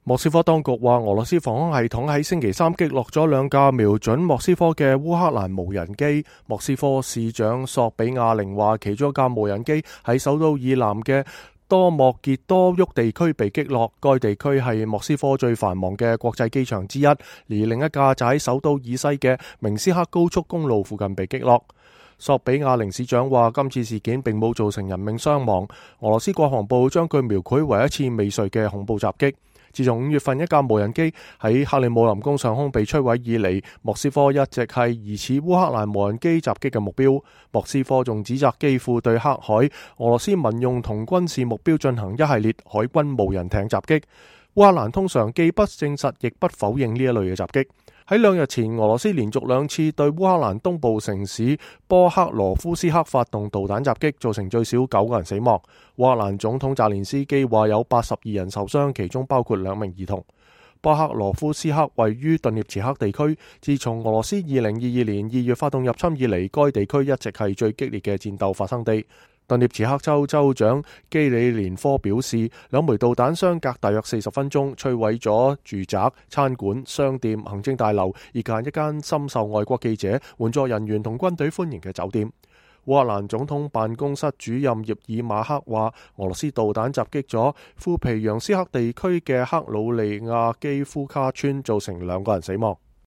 莫斯科當局話，俄羅斯防空系統喺星期三擊落咗兩架瞄準莫斯科嘅烏克蘭無人機。莫斯科市長索比亞寧話，其中一架無人機喺首都以南嘅多莫傑多沃地區被擊落，該地區係莫斯科最繁忙嘅國際機場之一，而另一架就喺首都以西嘅明斯克高速公路附近被擊落。索比亞寧市長話，今次事件並冇造成人命傷亡。俄羅斯國防部將佢描繪為一次未遂嘅恐怖襲擊。自從5月份一架無人機喺克里姆林宮上空被摧毀以嚟，莫斯科一直係疑似烏克蘭無人機襲擊嘅目標。莫斯科仲指責基輔對黑海俄羅斯民用同軍事目標進行一系列海軍無人艇襲擊。烏克蘭通常既不證實亦不否認呢一類嘅襲擊。喺2日前，俄羅斯連續2次對烏克蘭東部城市波克羅夫斯克發動導彈襲擊，造成最少9個人死亡。烏克蘭總統澤連斯基話有82人受傷，其中包括2名兒童。波克羅夫斯克位於頓涅茨克地區，自從俄羅斯2022年2月發動入侵以嚟，該地區一直係最激烈嘅戰鬥發生地。頓涅茨克州州長基里連科表示，2枚導彈相隔大約40分鐘，摧毀咗住宅、餐館、商店、行政大樓，以及一間深受外國記者、援助人員同軍隊歡迎嘅酒店。烏克蘭總統辦公室主任葉爾馬克話，俄羅斯導彈襲擊咗庫皮揚斯克地區嘅克魯利亞基夫卡村，造成2個人死亡。